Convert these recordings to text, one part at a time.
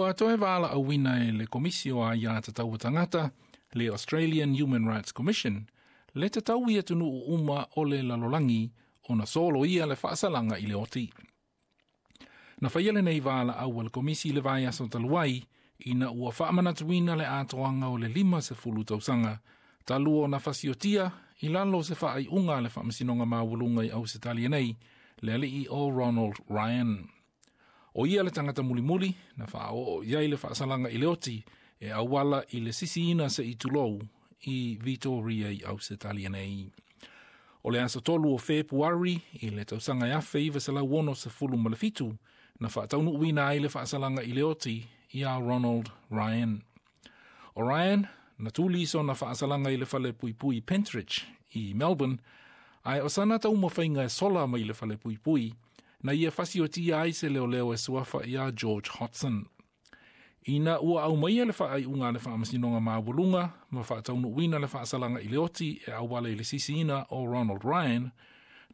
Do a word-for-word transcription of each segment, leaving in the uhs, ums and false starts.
Ua toe valaauina e le Komisi o Aiā Tatau a Tagata, le Australian Human Rights Commission, le tatau i atunuu uma o le lalolagi ona soloia le faasalaga i le oti. Na faia lenei valaau a le Komisi i le vaiaso talu ai, ina ua faamanatuina le atoaga o le lima sefulu tausaga, talu ona fasiotia i lalo o se faaiuga a le Faamasinoga Maualuga i Ausetalia nei, le alii o Ronald Ryan. O ia le tagata mulimuli na faaoo i ai le faasalaga i le oti e auala i le sisiina se i tulou i Victoria i Ausetalia nei. O le aso tolu o Fepuari i le tausaga e afe iva selau ono sefulu ma le fitu na faataunuuina ai le faasalaga i le oti ia Ronald Ryan. O Ryan na tuli sona faasalaga i le fale puipui Pentridge i Melbourne, ae o sana taumafaiga e sola mai le fale puipui, na ia fasiotia ai se leoleo e suafa ia George Hodson. Ina ua aumaia le faaiuga a le Faamasinoga Maualuga ma faataunuuina le faasalaga i le oti e auala i le sisiina o Ronald Ryan,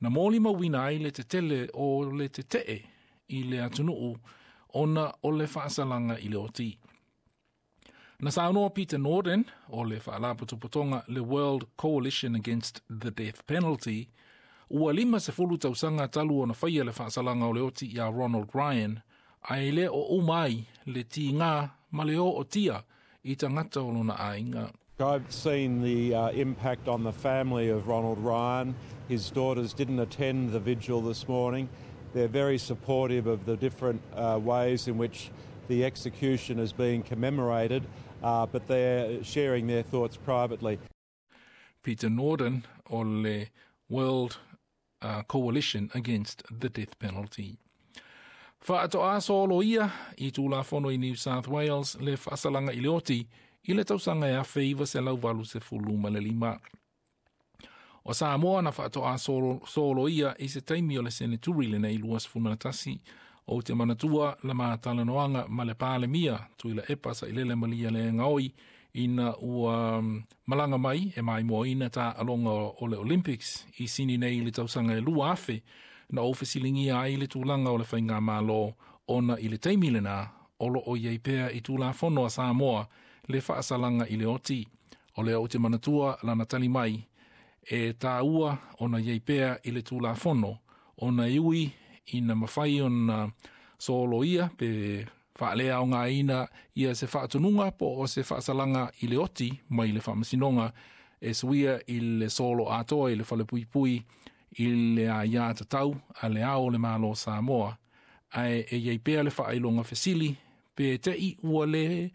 na molimauina ai le tetele o le tetee i le atunuu ona o le faasalaga i le oti. Na saunoa Peter Norden o le faalapotopotoga le World Coalition Against the Death Penalty, ua lima sefulu tausaga talu ona faia le faasalaga o le oti ia Ronald Ryan, ae le o uma ai le tigā ma le ootia i tagata o lona aiga. I've seen the uh, impact on the family of Ronald Ryan. His daughters didn't attend the vigil this morning. They're very supportive of the different uh, ways in which the execution is being commemorated, uh, but they're sharing their thoughts privately. Peter Norden o le World uh, Coalition Against the Death Penalty. Faatoa soloia i Tulafono i New South Wales le faasalaga i le oti i le tausaga e afe iva selau valu sefulu ma le lima. O Samoa na faatoa solo, soloia i se taimi o le seneturi lenei lua sefulu ma le tasi ou te manatua la matalanoaga ma le Palemia Tuilaepa Sailele Malielegaoi ina ua malaga mai e maimoaina taaloga o le Olympics i Sini nei i le tausaga e lua afe na ou fesiligia ai le tulaga o le faigamalo ona i le taimi lena o loo i ai pea i Tulafono a Samoa le faasalaga i le oti. O lea ou te manatua lana tali mai e taua ona i ai pea i le Tulafono ona e ui ina mafai ona soloia pe faaleaogaina ia se faatonuga po o se faasalaga i le oti mai le faamasinoga e suia i le solo atoa i le falepuipui i le aiā tatau a le ao o le Malo Samoa, ae e i ai pea le faailoga fesili pe te i ua le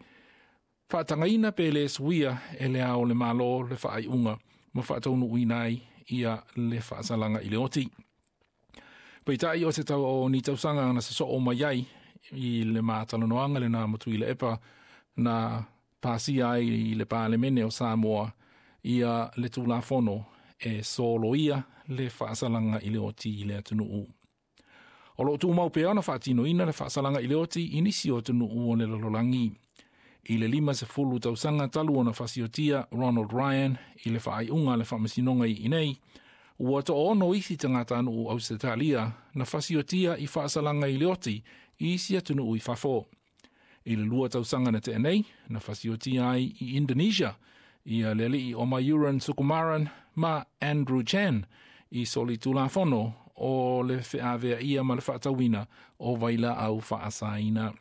faatagaina pe le suia e le ao o le Malo le faaiuga ma faataunuuina ai ia le faasalaga i le oti. Peitai o se tau o ni tausaga na sosoo mai ai i le matalanoaga lena ma Tuilaepa na pasia ai i le Palemene o Samoa ia le Tulafono e soloia le faasalaga i le oti i le atunuu. O loo tumau pea ona faatinoina le faasalaga i le oti i nisi o atunuu o le lalolagi. I le lima sefulu tausaga talu ona fasiotia Ronald Ryan i le faaiuga a le faamasinoga i inei, ua toaono isi tagatanuu Ausetalia na fasiotia i faasalaga i le oti i isi atunuu i fafo. I le lua tausaga na tea nei, na fasiotia ai i Indonesia ia le alii o Mayuran Sukumaran ma Andrew Chan i soli Tulafono o le feaveaia ma le faatauina o vailaau faasaina.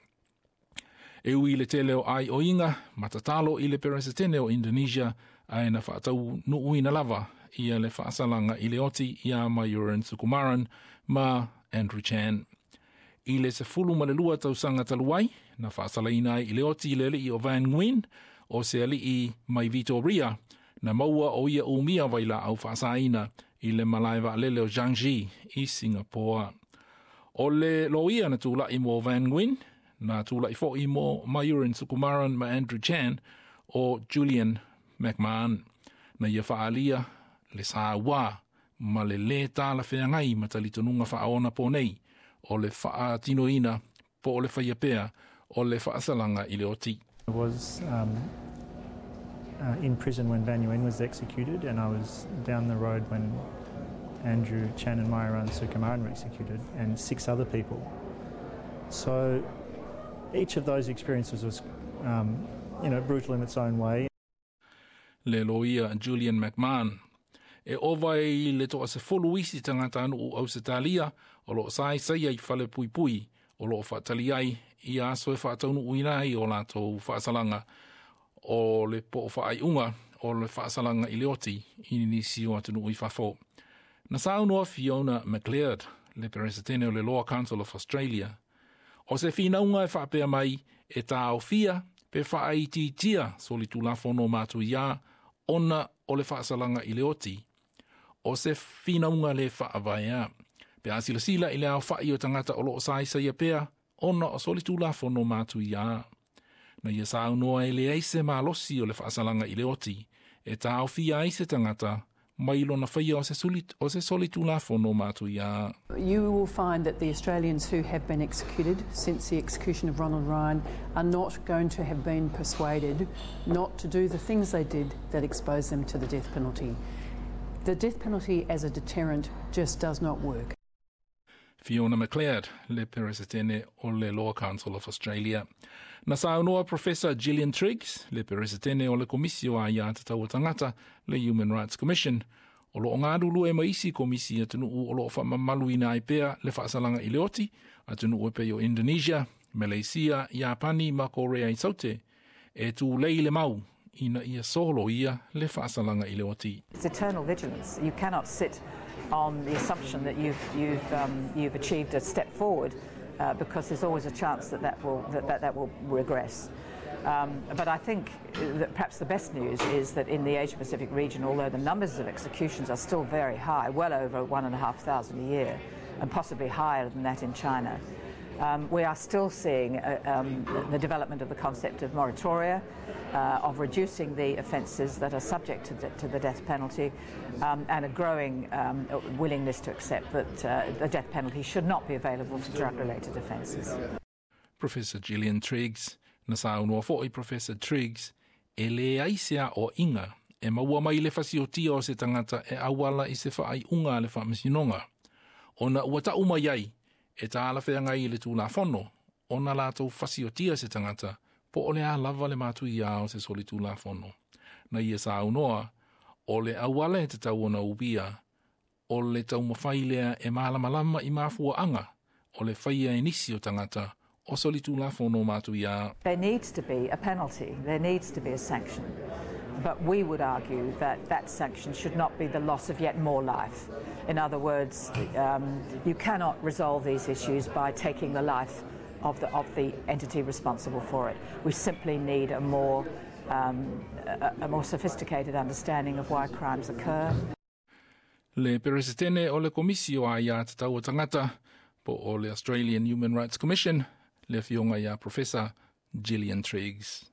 E ui i le tele o aioiga ma tatalo i le Peresetene o Indonesia ae na faataunuuina lava ia le faasalaga i le oti ia Mayuran Sukumaran ma Andrew Chan. I le sefulu ma le lua tausaga talu ai, na faasalaina ai i le oti i le alii o Van Nguyen o se alii mai Victoria, na maua o ia umia vailaau faasaina i le malae vaalele o Changi i Singapore. O le loia na tula'i mo Van Nguyen, na tula'i fo'i mo Mayuran Sukumaran ma Andrew Chan o Julian McMahon. Na ia faaalia le saua ma le lē talafeagai ma talitonuga faaonaponei o le faatinoina po o le faia pea o le faasalaga i le oti. I was um, uh, in prison when Van Nguyen was executed, and I was down the road when Andrew Chan and Myuran Sukumaran were executed, and six other people. So Each of those experiences was, um, you know, brutal in its own way. Le loia Julian McMahon. E ova i le toa se folu isi tangata anu o Ausetalia o loo sai saia i fale pui pui o loo whaatali ai i aso e whaataunu uina ai o lātou whaasalanga o le po o whaaiunga o le whaasalanga i le oti i nisi o atunu i whafo. Na saunoa Fiona MacLeod, le peresetene o le Law Council of Australia, o se whinaunga e whaapea mai e tāofia pe whaaititia so li tulafono mātu ia ona o le whaasalanga i le oti. O se whinaunga le whaavaea. Pe a sila i le ao whai o tangata o loo saisa ia pea, ona o soli tulafono mātu ia. Na ia saunoa e le eise malosi o le whaasalanga i le oti, e tāofia ai se tangata, mai lona whaia o se, suli, o se soli tulafono mātu ia. You will find that the Australians who have been executed since the execution of Ronald Ryan are not going to have been persuaded not to do the things they did that exposed them to the death penalty. The death penalty as a deterrent just does not work. Fiona MacLeod, le peresetene o le Law Council of Australia. Na saunoa Professor Gillian Triggs, le peresetene o le komisio a ia tatau tangata, le Human Rights Commission, o lo ngā e maisi komisi atunu o lo whamamalu ina ai pea le whaasalanga i le oti, atunu e pe o Indonesia, Malaysia, Japani ma Korea i Saute, e tū lei le mau, ina ia solo ia le whaasalanga i le oti. It's eternal vigilance. You cannot sit on the assumption that you've, you've, um, you've achieved a step forward uh, because there's always a chance that that will, that, that, that will regress. Um, but I think that perhaps the best news is that in the Asia Pacific region, although the numbers of executions are still very high, well over one and a half thousand a year, and possibly higher than that in China, um, we are still seeing uh, um, the development of the concept of moratoria, uh, of reducing the offences that are subject to the, to the death penalty, um, and a growing um, willingness to accept that uh, the death penalty should not be available for drug-related offences. Professor Gillian Triggs, na saunoa fo'i Professor Triggs, e le aisea o inga, e maua mai le fasiotia o se tangata e awala i se whaai unga le whaamisinonga. Ona ua ta uma iai, e tā ala whea ngai le tūlafono, ona lātou fasiotia se tangata, po o le a lava le mātu ia o se soli tūlafono. Na ia saunoa, o le awala e te tau ona ubia, o le taumawhai lea e mālamalama i mafua anga, o le whaia e nisi o tangata, o soli tūlafono mātu ia. There needs to be a penalty, there needs to be a sanction. But we would argue that that sanction should not be the loss of yet more life. In other words, um, you cannot resolve these issues by taking the life of the, of the entity responsible for it. We simply need a more, um, a, a more sophisticated understanding of why crimes occur. Le peresetene o le komisio a ia te tau tangata po o le Australian Human Rights Commission, le fionga ia Professor Gillian Triggs.